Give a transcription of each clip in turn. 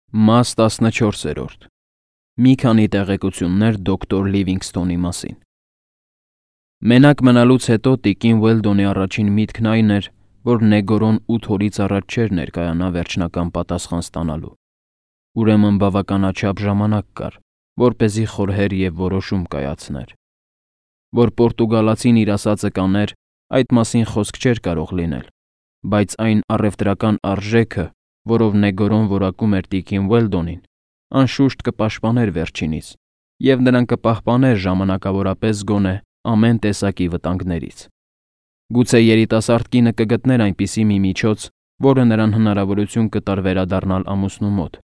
Մաս 14. Մի քանի տեղեկություններ դոկտոր Լիվինգսթոնի մասին։ Մենակ մնալուց հետո տիկին Ուելդոնի առաջին միտքն այն էր, որ Նեգորոն 8 օրից առաջ չէր ներկայանա վերջնական պատասխան ստանալու։ Ուրեմն բավականաչափ ժամանակ կար, որպեսզի խորհեր և որոշում կայացներ։ Որ պորտուգալացին իր ասածը կաներ, այդ մասին խոսք չէր կարող լինել, բայց այն առևտրական արժեքը, որով Նեգորոն որակում էր տիկին Ուելդոնին, անշուշտ կպաշտպաներ վերջինից, և նրան կպահպաներ ժամանակավորապես գոնե ամեն տեսակի վտանգներից։ Գուցե երիտասարդ կինը կգտներ այնպիսի մի միջոց, որը նրան հնարավորություն կտար վերադառնալ ամուսնու մոտ,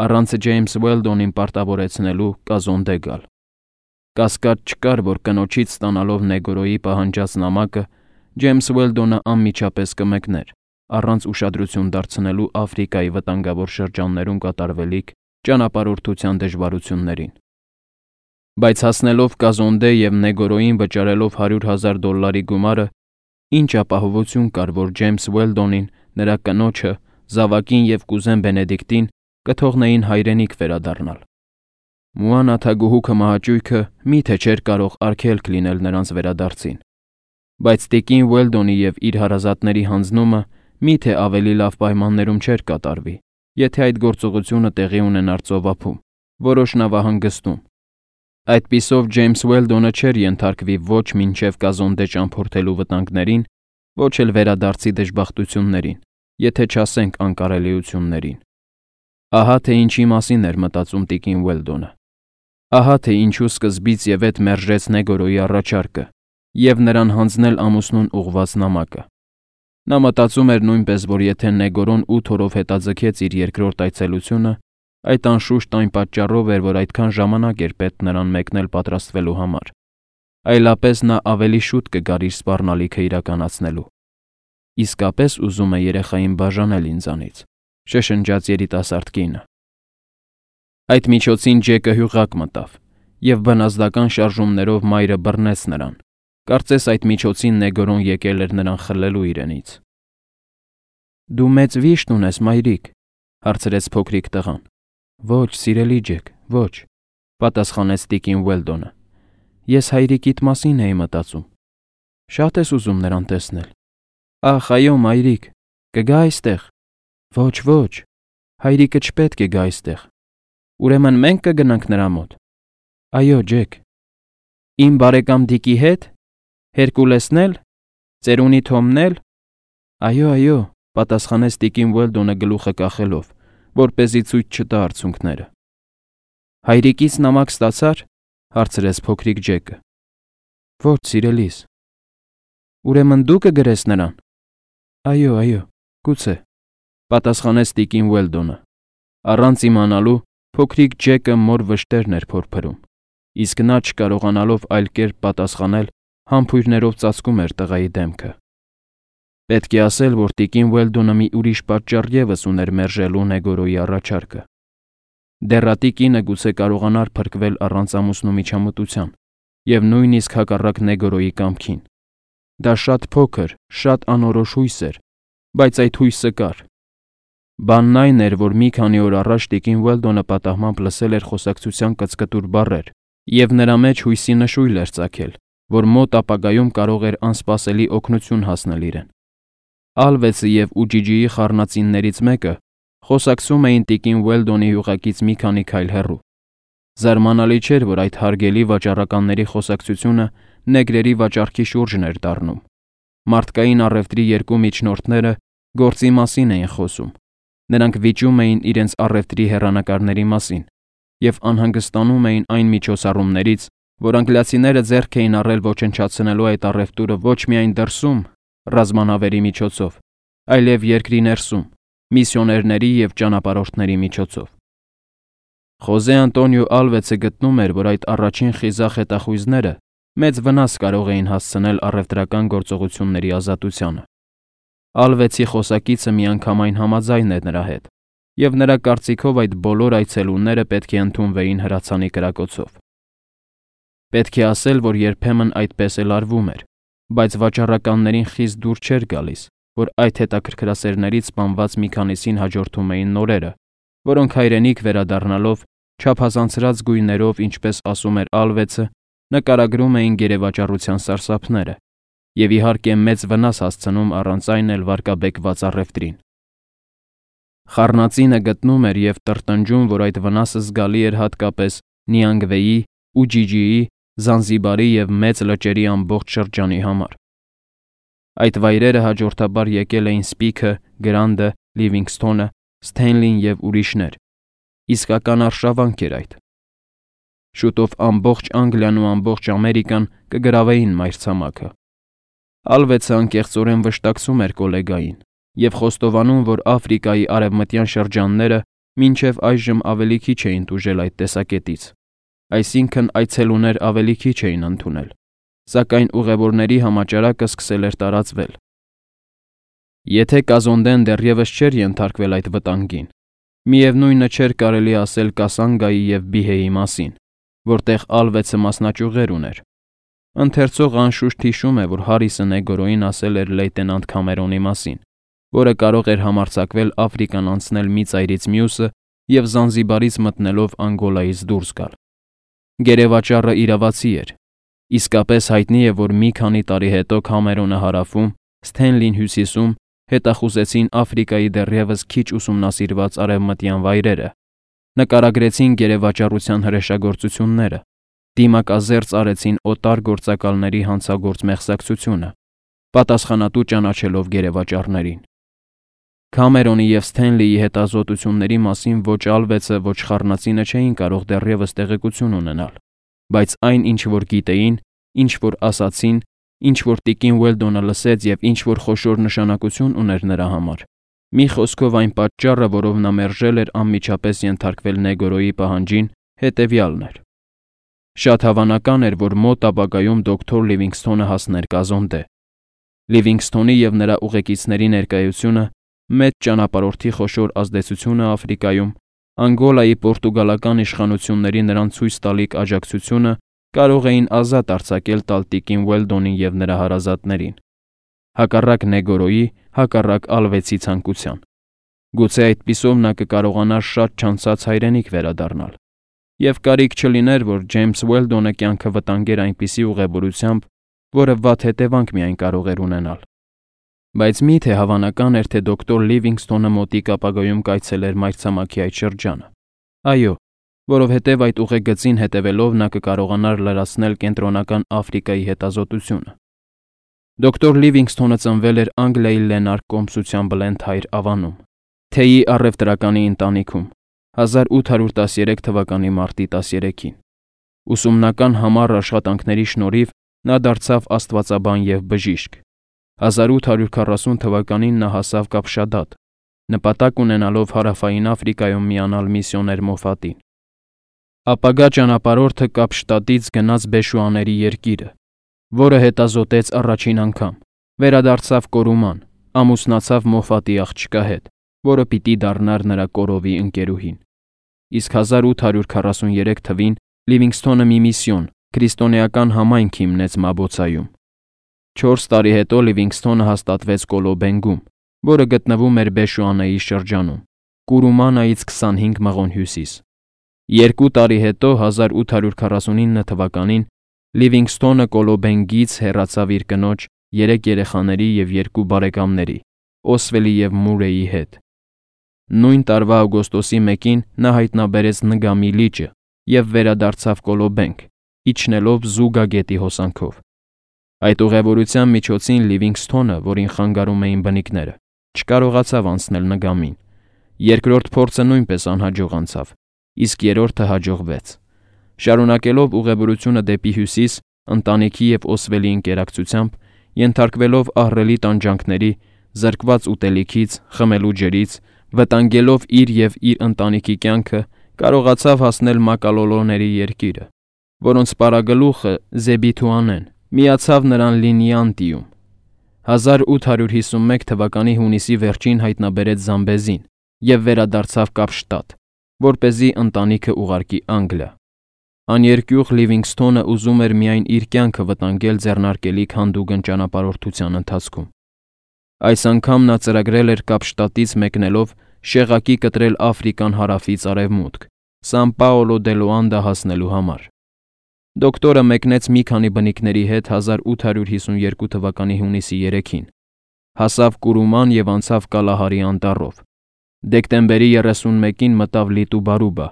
առանց Ջեյմս Ուելդոնին պարտավորեցնելու կազոնդե գալ։ Կասկած չկար, որ կնոջից ստանալով Նեգորոյի պահանջած նամակը, Ջեյմս Ուելդոնը անմիջապես կմեկներ, առանց ուշադրություն դարձնելու Աֆրիկայի վտանգավոր շրջաններում կատարվելիք ճանապարհորդության դժվարություններին։ Բայց հասնելով կազոնդե և Նեգորոյին վճարելով $100,000 գումարը, ինչ ապահովություն կար, որ Ջեյմս Ուելդոնին, նրա կնոջը, զավակին և կուզեն Բենեդիկտին կթողնեին հայրենիք վերադառնալ։ Մուանա թագուհուքը մահաճույքը մի՞թե չէր կարող արգելք լինել նրանց վերադարձին։ Բայց տիկին Ուելդոնի և իր հարազատների հանձնումը մի՞թե ավելի լավ պայմաններում չէր կատարվի, եթե այդ գործողությունը տեղի ունենար ծովափում, որոշ նավահանգստում։ Այդպիսով Ջեյմս Ուելդոնը չէր ենթարկվի ոչ մինչև կազոնդե ճամփորդելու վտանգներին, ոչ էլ վերադարձի դժբախտություններին, եթե չասենք անկարելիություններին։ Ահա թե ինչի մասին էր մտածում տիկին Ուելդոնը։ Ահա թե ինչու սկզբից և ետ մերժեց Նեգորոյի առաջարկը և նրան հանձնել ամուսնուն ուղղված նամակը։ Նա մտածում էր նույնպես, որ եթե Նեգորոն 8 օրով հետաձգեց իր երկրորդ այցելությունը, այդ անշուշտ այն պատճառով էր, որ այդքան ժամանակ էր պետք նրան մեկնել պատրաստվելու համար։ Այլապես նա ավելի շուտ կգար իր սպառնալիքը իրականացնելու։ Իսկապես ուզում է երեխային բաժանել ինձանից, շշնջաց երիտասարդ կինը։ Այդ միջոցին Ջեկը հյուղակ մտավ, և բնազդական շարժումներով մայրը բռնեց նրան։ Կարծես այդ միջոցին Նեգորոն եկել էր նրան խլելու իրենից։ Դու մեծ վիշտ ունես, մայրիկ, հարցրեց փոքրիկ տղան։ Ոչ, սիրելի Ջեք, ոչ, պատասխանեց տիկին Ուելդոնը։ Ես հայրիկիդ մասին էի մտածում։ Շատ ես ուզում նրան տեսնել։ Ախ, այո, մայրիկ, կգա այստեղ։ Ոչ, ոչ, հայրիկը չպետք է գա այստեղ։ Ուրեմն մենք կգնանք նրա մոտ։ Այո, Ջեք։ Իմ բարեկամ Դիկի հետ։ Հերկուլեսն էլ։ Ծերունի Թոմն էլ։ Այո, այո, պատասխանեց տիկին Ուելդոնը գլուխը կախելով, որպեսզի ցույց չտա արցունքները։ Հայրիկից նամակ ստացա՞ր, հարցրեց փոքրիկ Ջեկը։ Ոչ, սիրելիս։ Ուրեմն դու կգրես նրան։ Այո, այո, գուցե, պատասխանեց տիկին Ուելդոնը։ Առանց իմանալու փոքրիկ Ջեկը մոր վշտերն էր փորփրում, իսկ նա չկարողանալով այլ կերպ պատասխանել, համբույրներով ծածկում էր տղայի դեմքը։ Պետք է ասել, որ տիկին Ուելդոնը մի ուրիշ պատճառ ևս ուներ մերժելու Նեգորոյի առաջարկը։ Դեռատի կինը գուցե կարողանար փրկվել առանց ամուսնու միջամտության և նույնիսկ հակառակ Նեգորոյի կամքին։ Դա շատ փոքր, շատ անորոշ հույս էր, բայց այդ հույսը կար։ Բանն այն էր, որ մի քանի օր առաջ տիկին Ուելդոնը պատահմամբ լսել էր խոսակցության կծկտուր բառեր և նրա մեջ հույսի նշույլ էր ծագել, որ մոտ ապագայում կարող էր անսպասելի օգնություն հասնել իրեն։ Ալվեցը և Ուջիջիի խառնածիններից մեկը խոսակցում էին տիկին Ուելդոնի հյուղակից մի քանի քայլ հեռու։ Զարմանալի չէր, որ այդ հարգելի վաճառականների խոսակցությունը նեգրերի վաճառքի շուրջն էր դառնում։ Մարդկային առևտրի երկու միջնորդները գործի մասին էին խոսում։ Նրանք վիճում էին իրենց առևտրի հեռանկարների մասին և անհանգստանում էին այն միջոցառումներից, որ անգլիացիները ձեռք էին առել ոչնչացնելու այդ առևտուրը ոչ միայն դրսում, ռազմանավերի միջոցով, այլև երկրի ներսում, միսիոներների և ճանապարհորդների միջոցով։ Խոզե Անտոնիո Ալվեցը գտնում էր, որ այդ առաջին խիզախ հետախույզները մեծ վնաս կարող էին հասցնել առևտրական գործողությունների ազատությանը։ Ալվեցի խոսակիցը միանգամայն համաձայն էր նրա հետ, և նրա կարծիքով այդ բոլոր այցելուները պետք է ընդունվեին հրացանի կրակոցով։ Պետք է ասել, որ երբեմն այդպես էլ արվում էր, բայց վաճառականներին խիստ դուր չէր գալիս, որ այդ հետաքրքրասերներից սպանված մի քանիսին հաջորդում էին նորերը, որոնք հայրենիք վերադառնալով չափազանցրած գույներով, ինչպես ասում էր Ալվեցը, նկարագրում էին գերեվաճառության սարսափները եւ իհարկե մեծ վնաս հասցնում առանց այն էլ վարկաբեկված առևտրին։ Խառնածինը գտնում էր եւ տրտնջում, որ այդ վնասը զգալի էր հատկապես Նիանգվեի, Ուջիջիի, Զանզիբարի եւ մեծ լճերի ամբողջ շրջանի համար։ Այդ վայրերը հաջորդաբար եկել էին Սպիքը, Գրանտը, Լիվինգսթոնը, Սթենլին եւ ուրիշներ։ Իսկական արշավանք էր այդ։ Շուտով ամբողջ Անգլիան ու ամբողջ Ամերիկան կգրավեին մայրցամաքը։ Ալվեցը անկեղծորեն վշտակցում էր կոլեգային եւ խոստովանում, որ Աֆրիկայի արևմտյան շրջանները մինչև այժմ ավելի քիչ էին տուժել այդ տեսակետից, այսինքն այցելուներ ավելի քիչ էին ընդունել, սակայն ուղևորների համաճարակը սկսել էր տարածվել։ Եթե Կազոնդեն դեռևս չէր ենթարկվել այդ վտանգին, միևնույնը չէր կարելի ասել Կասանգայի եւ Բիհեի մասին, որտեղ Ալվեցը մասնաճյուղեր ուներ։ Ընթերցողը անշուշտ հիշում է, որ Հարիսը Նեգորոին ասել էր լեյտենանտ Քամերոնի մասին, որը կարող էր համարձակվել Աֆրիկան անցնել մի ծայրից մյուսը եւ Զանզիբարից մտնելով Անգոլայից դուրս գալ։ Գերեվաճառը իրավացի էր։ Իսկապես հայտնի է, որ մի քանի տարի հետո Քամերոնը հարավում, Սթենլին հյուսիսում հետախուզեցին Աֆրիկայի դեռևս քիչ ուսումնասիրված արևմտյան վայրերը, նկարագրեցին գերեվաճառության հրեշագործությունները, դիմակազերծ արեցին օտար գործակալների հանցագործ մեղսակցությունը, պատասխանատու ճանաչելով գերեվաճառներին։ Քամերոնի եւ Սթենլիի հետազոտությունների մասին ոչ Ալվեցը, ոչ Խառնածինը չէին կարող դեռևս տեղեկություն ունենալ, բայց այն, ինչ որ գիտեին, ինչ որ ասացին, ինչ որ տիկին Ուելդոնը լսեց եւ ինչ որ խոշոր նշանակություն ուներ նրա համար։ Մի խոսքով այն պատճառը, որով նա մերժել էր անմիջապես ենթարկվել Նեգորոյի պահանջին, հետեւյալն էր։ Շատ հավանական էր, որ մոտ ապագայում դոկտոր Լիվինգսթոնը հասներ Կազոնդե։ Լիվինգսթոնի եւ նրա ուղեկիցների ներկայությունը, մեծ ճանապարհորդի խոշոր ազդեցությունը Աֆրիկայում, Անգոլայի պորտուգալական իշխանությունների նրան ցույց տալիք աջակցությունը կարող էին ազատ արձակել տալտիկին Ուելդոնին եւ նրա հարազատներին։ Հակառակ Նեգորոյի, հակառակ Ալվեցի ցանկության։ Գուցե այդպիսով նա կկարողանար շատ չանցած հայրենիք վերադառնալ։ Եվ կարիք չլիներ, որ Ջեյմս Ուելդոնը կյանքը վտանգեր այնպիսի ուղևորությամբ, որը վատ հետևանք միայն կարող էր ունենալ։ Բայց միթե հավանական էր, թե դոկտոր Լիվինգսթոնը մոտիկ ապագայում կայցելեր մայրցամաքի այդ շրջանը։ Այո, որովհետև այդ ուղեգծին հետևելով նա կկարողանար լրացնել կենտրոնական Աֆրիկայի հետազոտությունը։ Դոկտոր Լիվինգսթոնը ծնվել էր Անգլիայի Լենարկ կոմսության Բլենթհայր ավանում, թեյի առևտրականի ընտանիքում, 1813 թվականի մարտի 13-ին։ Ուսումնական համառ աշխատանքների շնորհիվ նա դարձավ աստվածաբան եւ բժիշկ։ 1840 թվականին նա հասավ Կապշադատ, նպատակ ունենալով Հարավային Աֆրիկայում միանալ միսիոներ Մոֆատին։ Ապագա ճանապարհորդը Կապշտադից գնաց Բեշուաների երկիրը, որը հետազոտեց առաջին անգամ, վերադարձավ Կորուման, ամուսնացավ Մոֆատի աղջկա հետ, որը պիտի դառնար նրա կորովի ընկերուհին։ Իսկ 1843 թվին Լիվինգսթոնը մի միսիոն, քրիստոնեական համայնք հիմնեց Մաբոցայում։ 4 տարի հետո Լիվինգսթոնը հաստատվեց Կոլոբենգում, որը գտնվում էր Բեշուանեի շրջանում, Կուրումանայից 25 մղոն հյուսիս։ 2 տարի հետո 1849 թվականին Լիվինգսթոնը Կոլոբենգից հեռացավ իր կնոջ, 3 երեխաների եւ 2 բարեկամների, Օսվելի եւ Մուրեի հետ։ Նույն տարվա օգոստոսի 1-ին նա հայտնաբերեց Նգամի լիճը եւ վերադարձավ Կոլոբենգ, իջնելով Զուգա գետի հոսանքով։ Այդ ուղևորության միջոցին Լիվինգսթոնը, որին խանգարում էին բնիկները, չկարողացավ անցնել Նգամին։ Երկրորդ փորձը նույնպես անհաջող անցավ, իսկ երրորդը հաջողվեց։ Շարունակելով ուղևորությունը դեպի հյուսիս, ընտանիքի եւ Օսվելի ինկերակցությամբ, ենթարկվելով ահռելի տանջանքների, զրկված ուտելիքից, խմելու ջրից, վտանգելով իր եւ իր ընտանիքի կյանքը, կարողացավ հասնել Մակալոլոների երկիրը, որոնց պարագլուխը Զեբիթուանեն միացավ նրան Լինյանտիում։ 1851 թվականի հունիսի վերջին հայտնաբերեց Զամբեզին եւ վերադարձավ Կապշտադ, որպեսզի ընտանիքը ուղարկի Անգլիա։ Աներկյուղ Լիվինգսթոնը ուզում էր միայն իր կյանքը վտանգել ձեռնարկելիք հանդուգն ճանապարհորդության ընթացքում։ Այս անգամ նա ծրագրել էր Կապշտատից մեկնելով շեղակի կտրել Աֆրիկան հարավից արևմուտք, Սան Պաոլո դե Լուանդա հասնելու համար։ Դոկտորը մեկնեց մի քանի բնիկների հետ 1852 թվականի հունիսի 3-ին, հասավ Կուրուման և անցավ Կալահարի անտառով։ Դեկտեմբերի 31-ին մտավ Լիտուբարուբա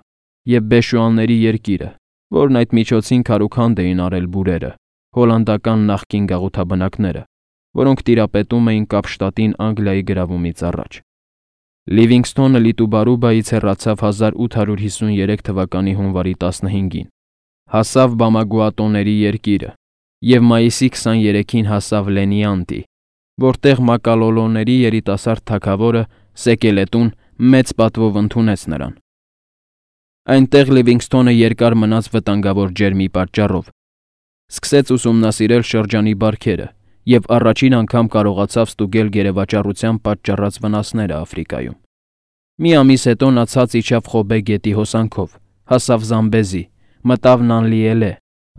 և Բեշուանների երկիրը, որն այդ միջոցին քարուքանդ էին արել բուրերը, հոլանդական նախկին գաղութաբնակները, որոնք տիրապետում էին Կապշտատին Անգլիայի գրավումից առաջ։ Լիվինգսթոնը Լիտուբարուբայից հեռացավ 1853 թվականի հունվարի 15-ին, հասավ Բամագուատոների երկիրը և մայիսի 23-ին հասավ Լենիանտի, որտեղ Մակալոլոների երիտասարդ թագավորը Սեկելետուն մեծ պատվով ընդունեց նրան։ Այնտեղ Լիվինգսթոնը երկար մնաց վտանգավոր ջերմի պատճառով, սկսեց ուսումնասիրել շրջանի բարքերը և առաջին անգամ կարողացավ ստուգել գերեվաճառության պատճառած վնասները Աֆրիկայում։ Մի ամիս հետո նա ցած իջավ Խոբե գետի հոսանքով, հասավ Զամբեզի, մտավ Նանլիելե,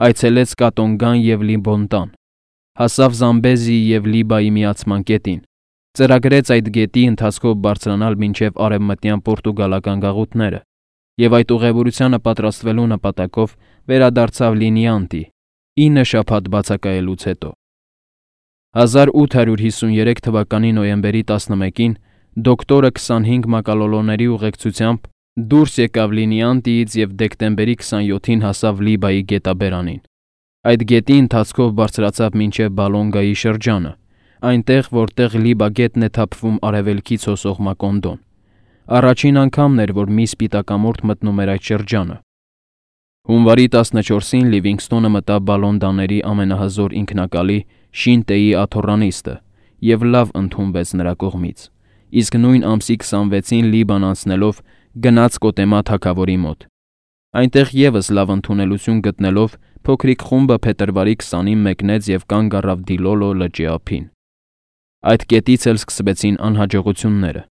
այցելեց Կատոնգան և Լիբոնտան, հասավ Զամբեզիի և Լիբայի միացման կետին, ծրագրեց այդ գետի ընթացքով բարձրանալ մինչև արևմտյան պորտուգալական գաղութները և այդ ուղևորությանը պատրաստվելու նպատակով վերադարձավ Լինիանտի 9 շաբաթ բացակայելուց հետո։ 1853 թվականի նոյեմբերի 11-ին դոկտորը 25 մակալոլոների ուղեկցությամբ դուրս եկավ Լինիանտիից և դեկտեմբերի 27-ին հասավ Լիբայի գետաբերանին։ Այդ գետի ընթացքով բարձրացավ մինչև Բալոնգայի շրջանը, այնտեղ, որտեղ Լիբա գետն է թափվում արևելքից հոսող Մակոնդոն։ Առաջին անգամն էր, որ մի սպիտակամորթ մտնում էր այդ շրջանը։ Հունվարի 14-ին Լիվինգսթոնը մտավ Բալոնդաների ամենահզոր ինքնակալի Շինտեի աթոռանիստը և լավ ընդունվեց նրա կողմից, իսկ նույն ամսի 26-ին Լիբան անցնելով գնաց Կոտեմա թագավորի մոտ։ Այնտեղ ևս լավ ընդունելություն գտնելով փոքրիկ խումբը փետրվարի 20-ին մեկնեց և կանգ առավ Դիլոլո լճի ափին։ Այդ կետից էլ սկսվեցին անհաջողությունները։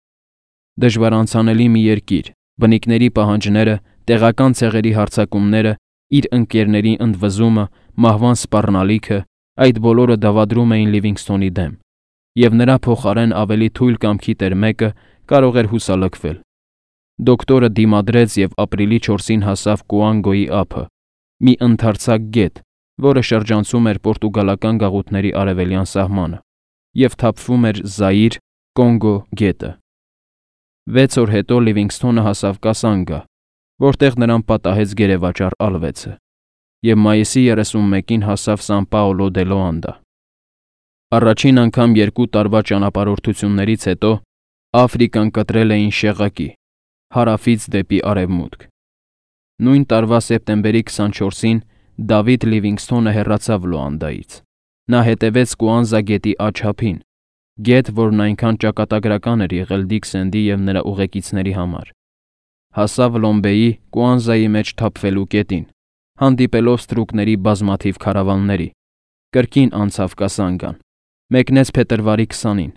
Դժվարանցանելի մի երկիր, բնիկների պահանջները, տեղական ցեղերի հարձակումները, իր ընկերների ընդվզումը, մահվան սպառնալիքը, այդ բոլորը դավադրում էին Լիվինգսթոնի դեմ, և նրա փոխարեն ավելի թույլ կամքի տեր մեկը կարող էր հուսալքվել։ Դոկտորը դիմադրեց և ապրիլի 4-ին հասավ Կուանգոյի ափը, մի ընդարձակ գետ, որը շրջանցում էր պորտուգալական գաղութների արևելյան սահմանը և թափվում էր Զաիր, Կոնգո գետը։ 6 օր հետո Լիվինգսթոնը հասավ Կասանգա, որտեղ նրան պատահեց գերեվաճառ Ալվեցը, և մայիսի 31-ին հասավ Սան Պաոլո դե Լուանդա։ Առաջին անգամ 2 տարվա ճանապարհորդություններից հետո Աֆրիկան կտրել էին շեղակի, հարավից դեպի արևմուտք։ Նույն տարվա սեպտեմբերի 24-ին Դավիթ Լիվինգսթոնը հեռացավ Լուանդայից։ Նա հետևեց Կուանզա գետի աջ-ափին, գետ, որն այնքան ճակատագրական էր եղել Դիքսենդի և նրա ուղեկիցների համար։ Հասավ Լոմբեի Կուանզայի մեջ թափվելու կետին, հանդիպելով ստրուկների բազմաթիվ քարավանների, կրկին անցավ Կասանգան, մեկնեց փետրվարի 20-ին,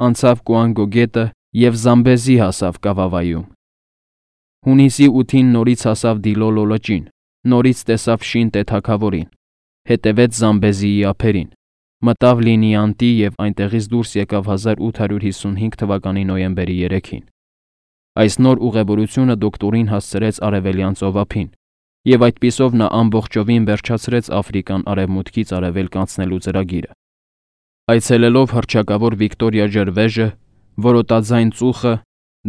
անցավ Կուանգո գետը և Զամբեզի հասավ Կավավայում։ Հունիսի 8-ին նորից հասավ Դիլոլո լճին, նորից տեսավ Շինտե թագավորին, հետևեց Զամբեզիի ափերին, մտավ Լինիանտի և այնտեղից դուրս եկավ 1855 թվականի նոյեմբերի 3-ին։ Այս նոր ուղևորությունը դոկտորին հասցրեց Արևելյան ծովափին, և այդպիսով նա ամբողջովին վերջացրեց Աֆրիկան արևմուտքից արևելք անցնելու ծրագիրը։ Այցելելով հռչակավոր Վիկտորիա ջրվեժը, որոտաձայն ծուխը,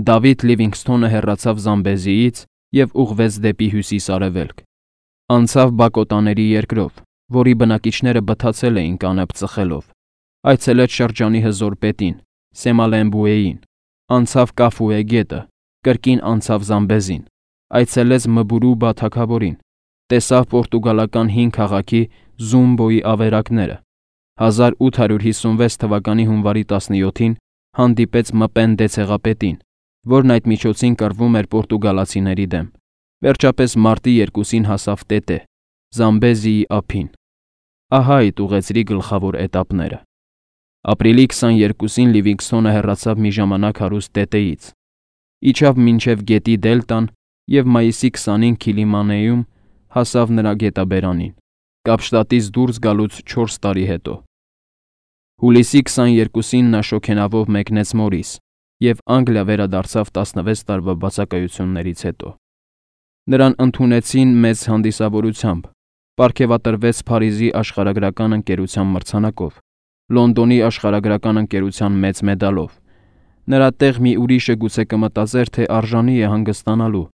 Դավիթ Լիվինգսթոնը հեռացավ Զամբեզիից և ուղղվեց դեպի հյուսիս-արևելք։ Անցավ Բակոտաների երկրով, որի բնակիչները բթացել էին կանեփ ծխելով, այցելեց շրջանի հզոր պետին, Սեմալեմբուեին, անցավ Կաֆուե գետը, կրկին անցավ Զամբեզին, այցելեց Մբուրուբա թագավորին, տեսավ պորտուգալական հին քաղաքի Զումբոյի ավերակները, 1856 թվականի հունվարի 17-ին հանդիպեց Մպենդե ցեղապետին, որն այդ միջոցին կռվում էր պորտուգալացիների դեմ, վերջապես մարտի 2-ին հասավ Տետե, Զամբեզիի ափին։ Ահա այդ ուղեծրի գլխավոր էտապները։ Ապրիլի 22-ին Լիվինգսթոնը հեռացավ մի ժամանակ հարուստ Տետեից, իջավ մինչև գետի դելտան և մայիսի 20-ին Քիլիմանեում հասավ նրա գետաբերանին, Կապշտատից դուրս գալուց 4 տարի հետո։ Հուլիսի 22-ին նա շոգենավով մեկնեց Մորիս և Անգլիա վերադարձավ 16 տարվա բացակայություններից հետո։ Նրան ընդունեցին մեծ հանդիսավորությամբ, պարգևատրվեց Փարիզի աշխարհագրական ընկերության մրցանակով, Լոնդոնի աշխարհագրական ընկերության մեծ մեդալով։ Նրա տեղ մի ուրիշը գուցե կմտածեր, թե արժանի է հանգստանալու,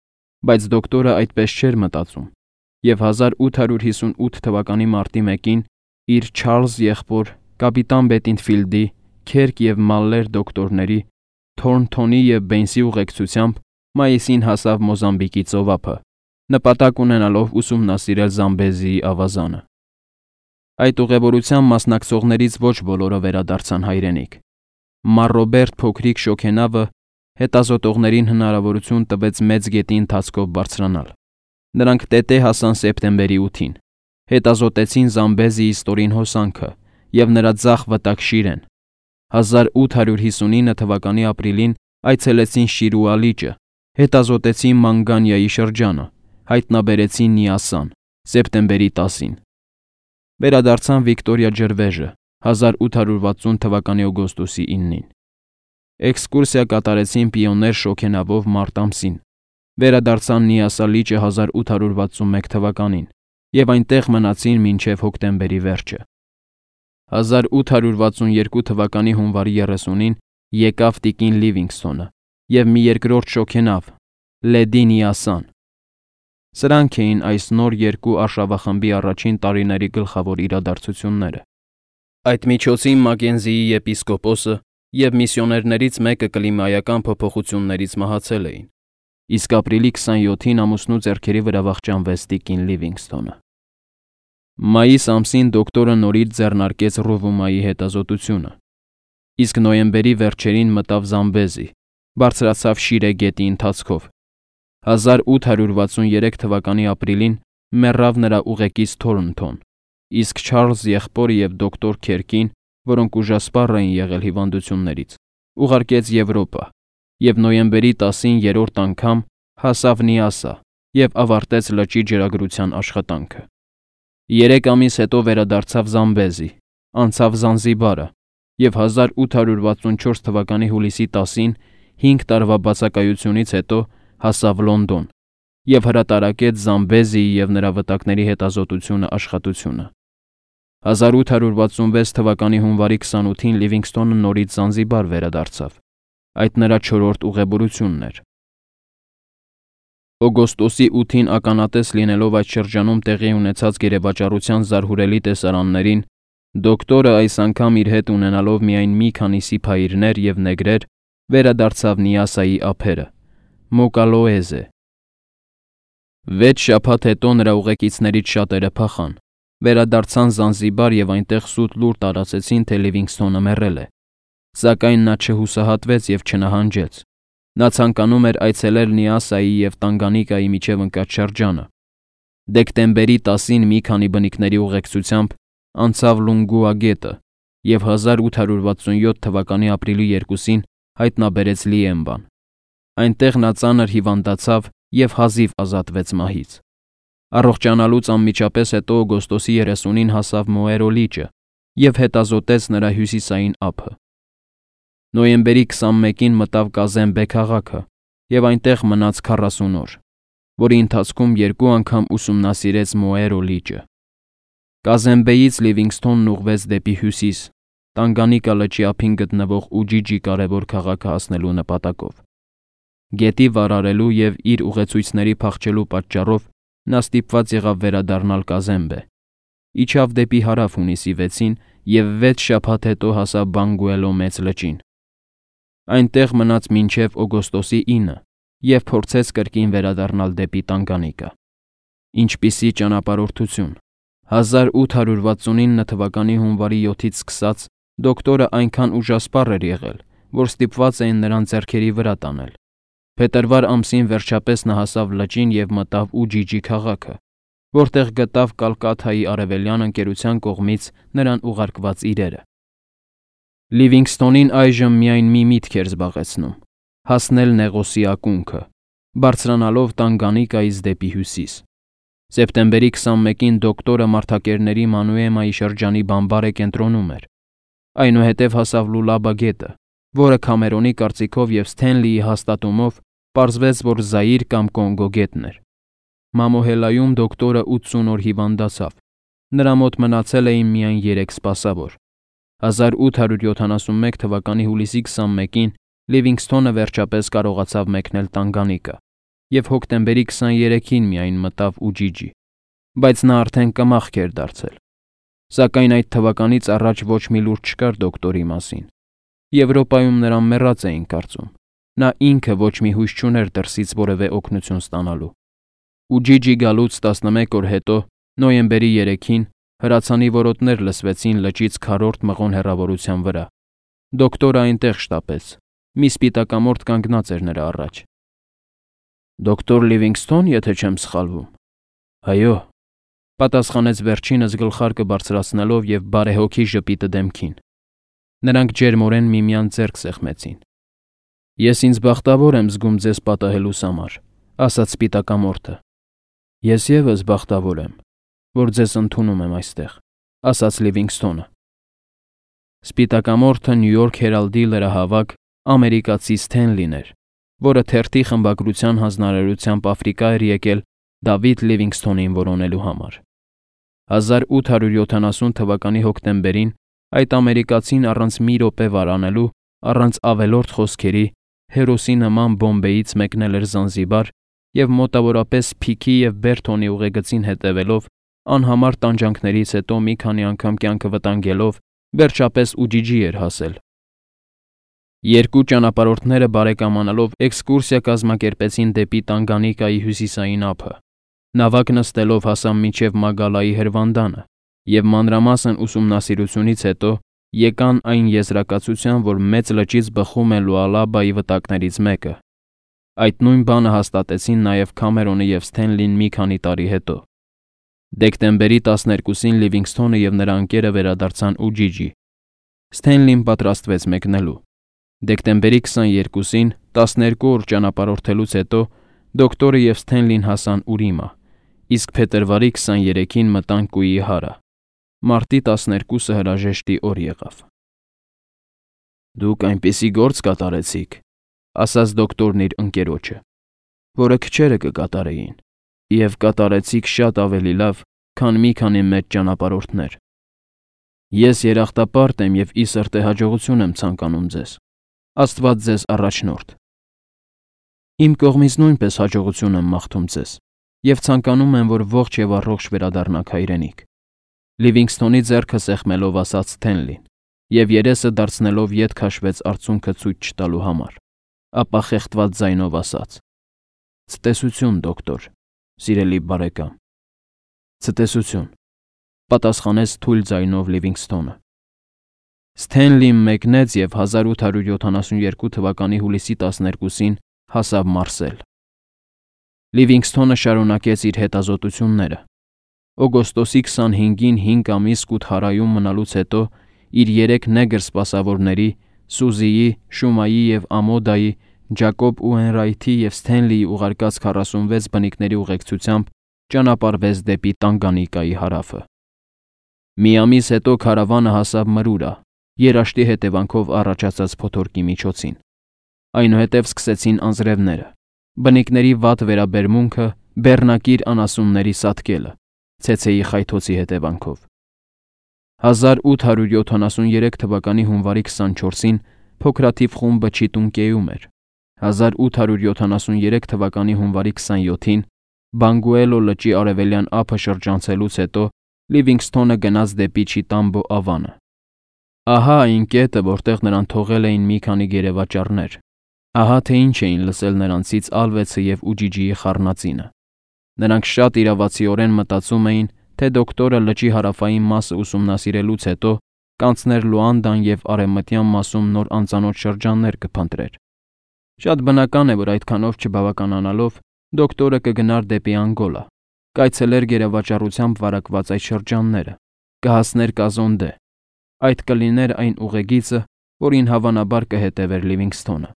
բայց դոկտորը այդպես չէր մտածում, և 1858 թվականի մարտի 1-ին իր Չարլզ եղբոր կապիտան Բետինֆիլդի, Քերկ և Մալլեր դոկտորների, Թորնթոնի և Բեյնսի ուղեկցությամբ մայիսին հասավ Մոզամբիկի ծովափը, նպատակ ունենալով ուսումնասիրել Զամբեզիի ավազանը։ Այդ ուղևորության մասնակցողներից ոչ բոլորը վերադարձան հայրենիք։ Մարրոբերտ փոքրիկ շոգենավը հետազոտողներին հնարավորություն տվեց մեծ գետի ընթացքով բարձրանալ։ Նրանք տետե հասան սեպտեմբերի 8-ին, հետազոտեցին Զամբեզիի ստորին հոսանքը և նրա ձախ վտակ Շիրեն։ 1859 թվականի ապրիլին այցելեցին Շիրուա լիճը, հետազոտեցին Մանգանիայի շրջանը, հայտնաբերեցին Նիասան, սեպտեմբերի 10-ին։ Վերադարձան Վիկտորիա ջրվեժը 1860 թվականի օգոստոսի 9-ին։ Էքսկուրսիա կատարեցին պիոներ շոգենավով մարտ ամսին, վերադարձան Նիասա լիճը 1861 թվականին և այնտեղ մնացին մինչև հոկտեմբերի վերջը։ 1862 թվականի հունվարի 30-ին եկավ տիկին Լիվինգսթոնը և մի երկրորդ շոգենավ՝ Լեդի Նիասան։ Սրանք էին այս նոր երկու արշավախմբի առաջին տարիների գլխավոր իրադարձությունները։ Այդ միջոցին Մակենզիի եպիսկոպոսը և միսիոներներից մեկը կլիմայական փոփոխություններից մահացել էին, իսկ ապրիլի 27-ին ամուսնու ձեռքերի վրա վախճանվեց տիկին Լիվինգսթոնը։ Մայիս ամսին դոկտորը նորից ձեռնարկեց Ռովումայի հետազոտությունը, իսկ նոյեմբերի վերջերին մտավ Զամբեզի, բարձրացավ Շիրե գետի ընթացքով։ 1863 թվականի ապրիլին մեռավ նրա ուղեկից Թորնթոն, իսկ Չարլզ եղբորը և դոկտոր Քերկին, որոնք ուժասպառ էին եղել հիվանդություններից, ուղարկեց Եվրոպա և նոյեմբերի 10-ին երրորդ անգամ հասավ Նիասա և ավարտեց լճի ջրագրության աշխատանքը։ 3 ամիս հետո վերադարձավ Զամբեզի, անցավ Զանզիբարը և 1864 թվականի հուլիսի 10-ին 5 տարվա բացակայությունից հետո հասավ Լոնդոն և հրատարակեց Զամբեզիի և նրա վտակների հետազոտությունը աշխատությունը։ 1866 թվականի հունվարի 28-ին Լիվինգսթոնը նորից Զանզիբար վերադարձավ։ Այդ նրա 4-րդ ուղևորությունն էր։ Օգոստոսի 8-ին ականատես լինելով այդ շրջանում տեղի ունեցած գերեվաճառության զարհուրելի տեսարաններին, դոկտորը այս անգամ իր հետ ունենալով միայն մի քանի սիփայիրներ և նեգրեր, վերադարձավ Նիասայի ափերը, Մոկալոեզե։ 6 շաբաթ հետո նրա ուղեկիցներից շատերը փախան, վերադարձան Զանզիբար և այնտեղ սուտ լուր տարածեցին, թե Լիվինգսթոնը մեռել է, սակայն նա չհուսահատվեց և չնահանջեց։ Նա ցանկանում էր այցելել Նիասայի և Տանգանիկայի միջև ընկած շրջանը։ Դեկտեմբերի 10-ին մի քանի բնիկների ուղեկցությամբ անցավ Լունգուա գետը և 1867 թվականի ապրիլի 2-ին հայտնաբերեց Լիեմբան։ Այնտեղ նա ծանր հիվանդացավ և հազիվ ազատվեց մահից։ Առողջանալուց անմիջապես հետո օգոստոսի 30-ին հասավ Մոերո լիճը և հետազոտեց նրա հյուսիսային ափը։ Նոյեմբերի 21-ին մտավ Կազեմբե քաղաքը և այնտեղ մնաց 40 օր, որի ընթացքում 2 անգամ ուսումնասիրեց Մոերո լիճը։ Կազեմբեից Լիվինգսթոնն ուղղվեց դեպի հյուսիս, Տանգանիկա լճի ափին գտնվող Ուջիջի կարևոր քաղաքը հասնելու նպատակով։ Գետի վարարելու և իր ուղեցույցների փախչելու պատճառով նա ստիպված եղավ վերադառնալ Կազեմբե։ Իջավ դեպի հարավ հունիսի 6-ին և 6 շաբաթ հետո հասավ Բանգուելո մեծ լճին։ Այնտեղ մնաց մինչև օգոստոսի 9 և փորձեց կրկին վերադառնալ դեպի Տանգանիկա։ Ինչպիսի ճանապարհորդություն։ 1869 թվականի հունվարի 7-ից սկսած դոկտորը այնքան ուժասպառ էր եղել, որ ստիպված էին նրան ձեռքերի վրա տանել։ Փետրվար ամսին վերջապես նա հասավ լճին և մտավ Ուջիջի քաղաքը, որտեղ գտավ Կալկաթայի արևելյան ընկերության կողմից նրան ուղարկված իրերը։ Լիվինգսթոնին այժմ միայն մի միտք էր զբաղեցնում՝ հասնել Նեղոսի ակունքը, բարձրանալով Տանգանիկայից դեպի հյուսիս։ Սեպտեմբերի 21-ին դոկտորը մարդակերների Մանուեմայի շրջանի բամբարե կենտրոնում էր։ Այնուհետև հասավ Լուլաբա գետը, որը Քամերոնի կարծիքով և Սթենլիի հաստատումով պարզվեց, որ Զաիր կամ Կոնգո գետն էր։ Մամոհելայում դոկտորը 80 օր հիվանդացավ։ Նրա մոտ մնացել էին միայն 3 սպասավոր։ 1871 թվականի հուլիսի 21-ին Լիվինգսթոնը վերջապես կարողացավ մեկնել Տանգանիկա և հոկտեմբերի 23-ին միայն մտավ Ուջիջի, բայց նա արդեն կմախք էր դարձել։ Սակայն այդ թվականից առաջ ոչ մի լուր չկար դոկտորի մասին։ Եվրոպայում նրան մեռած էին կարծում։ Նա ինքը ոչ մի հույս չուներ դրսից որևէ օգնություն ստանալու։ Ուջիջի գալուց 11 օր հետո, նոյեմբերի 3-ին, հրացանի որոտներ լսվեցին լճից քառորդ մղոն հեռավորության վրա։ Դոկտորը այնտեղ շտապեց։ Մի սպիտակամորթ կանգնած էր նրա առաջ։ «Դոկտոր Լիվինգսթոն, եթե չեմ սխալվում»։ «Այո», պատասխանեց վերջինս գլխարկը բարձրացնելով և բարեհոգի ժպիտը դեմքին։ Նրանք ջերմորեն միմյանց ձեռք սեղմեցին։ «Ես ինձ բախտավոր եմ զգում ձեզ պատահելուս համար», ասաց սպիտակամորթը։ «Ես ևս բախտավոր եմ, որ ձեզ ընդունում եմ այստեղ», ասաց Լիվինգսթոնը։ Սպիտակամորթը Նյու Յորք Հերալդի լրահավաք ամերիկացի Սթենլին էր, որը թերթի խմբագրության հանձնարարությամբ Աֆրիկա էր եկել Դավիթ Լիվինգսթոնին որոնելու համար։ 1870 թվականի հոկտեմբերին այդ ամերիկացին առանց մի րոպե վարանելու, առանց ավելորդ խոսքերի, հերոսի նման Բոմբեից մեկնել էր Զանզիբար և մոտավորապես Փիքի և Բերթոնի ուղեգծին հետևելով, անհամար տանջանքներից հետո մի քանի անգամ կյանքը վտանգելով, վերջապես Ուջիջի էր հասել։ Երկու ճանապարհորդները բարեկամանալով էքսկուրսիա կազմակերպեցին դեպի Տանգանիկայի հյուսիսային ափը։ Նավակ նստելով հասան մինչև Մագալայի հրվանդանը և մանրամասն ուսումնասիրությունից հետո եկան այն եզրակացության, որ մեծ լճից բխում է Լուալաբայի վտակներից մեկը։ Այդ նույն բանը հաստատեցին նաև Քամերոնը և Սթենլին մի քանի տարի հետո։ Դեկտեմբերի 12-ին Լիվինգսթոնը և նրա ընկերը վերադարձան Ուջիջի։ Սթենլին պատրաստվեց մեկնելու։ Դեկտեմբերի 22-ին 12 օր ճանապարհորդելուց հետո դոկտորը և Սթենլին հասան Ուրիմա, իսկ փետրվարի 23-ին մտան Կուիհարա։ Մարտի 12-ը հրաժեշտի օր եղավ։ «Դուք այնպիսի գործ կատարեցիք», ասաց դոկտորն իր ընկերոջը, «որը քչերը կկատարեին, և կատարեցիք շատ ավելի լավ, քան մի քանի մեծ ճանապարհորդներ։ Ես երախտապարտ եմ և ի սրտե հաջողություն եմ ցանկանում ձեզ։ Աստված ձեզ առաջնորդ։ Իմ կողմից նույնպես հաջողություն եմ մաղթում ձեզ և ցանկանում եմ, որ ողջ և առողջ վերադառնաք հայրենիք», Լիվինգսթոնի ձեռքը սեղմելով ասաց Սթենլին, և երեսը դարձնելով ետ քաշվեց արցունքը ցույց չտալու համար, ապա խեղդված ձայնով ասաց. «Ցտեսություն, դոկտոր, սիրելի բարեկամ»։ «Ցտեսություն», պատասխանեց թույլ ձայնով Լիվինգսթոնը։ Սթենլին մեկնեց և 1872 թվականի հուլիսի 12-ին հասավ Մարսել։ Լիվինգսթոնը շարունակեց իր հետազոտությունները։ Օգոստոսի 25-ին 5 ամիս Կութհարայում մնալուց հետո իր 3 նեգր սպասավորների՝ Սուզիի, Շումայի և Ամոդայի, Ջակոբ Ուենրայթի և Սթենլիի ուղարկած 46 բնիկների ուղեկցությամբ ճանապարհվեց դեպի Տանգանիկայի հարավը։ Մի ամիս հետո քարավանը հասավ Մրուրա, երաշտի հետևանքով առաջացած փոթորկի միջոցին։ Այնուհետև սկսեցին անձրևները, բնիկների վատ վերաբերմունքը, բեռնակիր անասունների սատկելը, ցեցեի խայթոցի հետևանքով։ 1873 թվականի հունվարի 24-ին փոքրաթիվ խումբը Չիտունկեում էր։ 1873 թվականի հունվարի 27-ին Բանգուելո լճի արևելյան ափը շրջանցելուց հետո Լիվինգսթոնը գնաց դեպի Չիտամբո ավանը։ Ահա այն կետը, որտեղ նրան թողել էին մի քանի գերեվաճառներ։ Ահա թե ինչ էին լսել նրանցից Ալվեցը և Ուջիջիի խառնածինը։ Նրանք շատ իրավացիորեն մտածում էին, թե դոկտորը լճի հարավային մասը ուսումնասիրելուց հետո կանցներ Լուանդան և արևմտյան մասում նոր անծանոթ շրջաններ կփնտրեր։ Շատ բնական է, որ այդքանով չբավականանալով դոկտորը կգնար դեպի Անգոլա, կայցելեր գերեվաճառությամբ վարակված այդ շրջանները, կհասներ Կազոնդե։ Այդ կլիներ այն ուղեգիծը, որին հավանաբար կհետևեր Լիվինգսթոնը։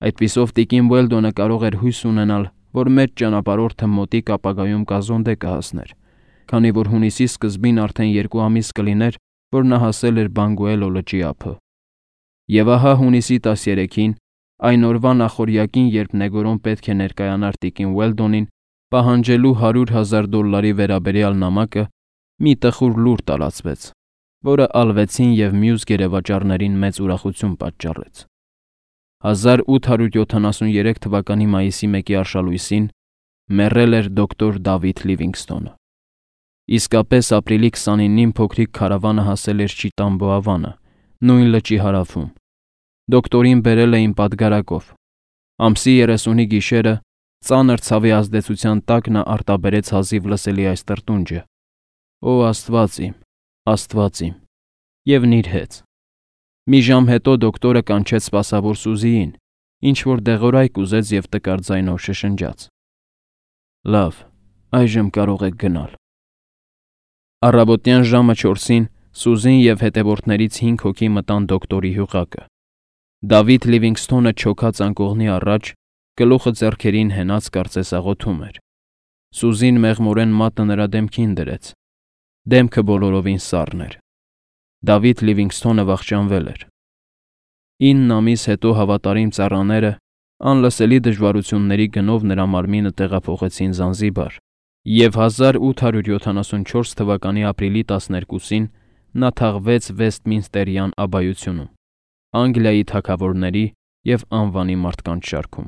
Այդպիսով տիկին Ուելդոնը կարող էր հույս ունենալ, որ մեծ ճանապարհորդը մոտիկ ապագայում Կազոնդե կհասներ, քանի որ հունիսի սկզբին արդեն 2 ամիս կլիներ, որ նա հասել էր Բանգուելո լճի ափը։ Եվ ահա հունիսի 13-ին, այն օրվա նախօրյակին, երբ Նեգորոն պետք է ներկայանար տիկին Ուելդոնին, պահանջելու $100,000 վերաբերյալ նամակը, մի տխուր լուր տարածվեց, որը ալվեցին և մյուս գերեվաճառներին մեծ ուրախություն պատճառեց։ 1873 թվականի մայիսի 1-ի արշալույսին մեռել էր դոկտոր Դավիթ Լիվինգսթոնը։ Իսկապես ապրիլի 29-ին փոքրիկ քարավանը հասել էր Չիտամբո ավանը, նույն լճի հարավում։ Դոկտորին բերել էին պատգարակով։ Ամսի 30-ի գիշերը ծանր ցավի ազդեցության տակ նա արտաբերեց հազիվ լսելի այս տրտունջը. «Օ Աստված իմ, Աստված իմ», և նիրհեց։ Մի ժամ հետո դոկտորը կանչեց սպասավոր Սուզիին, ինչ-որ դեղորայք ուզեց և տկար ձայնով շշնջաց. «Լավ, այժմ կարող եք գնալ»։ Առավոտյան ժամը 4-ին Սուզին և հետևորդներից 5 հոգի մտան դոկտորի հյուղակը։ Դավիթ Լիվինգսթոնը չոքած անկողնի առաջ, գլուխը ձեռքերին հենած կարծես աղոթում էր։ Սուզին մեղմորեն մատը նրա դեմքին դրեց։ Դեմքը բոլորովին սառն էր։ Դավիթ Լիվինգսթոնը վախճանվել էր։ 9 ամիս հետո հավատարիմ ծառաները անլսելի դժվարությունների գնով նրա մարմինը տեղափոխեցին Զանզիբար, և 1874 թվականի ապրիլի 12-ին նա թաղվեց Վեսթմինստերյան աբբայությունում, Անգլիայի թագավորների և անվանի մարդկանց շարքում։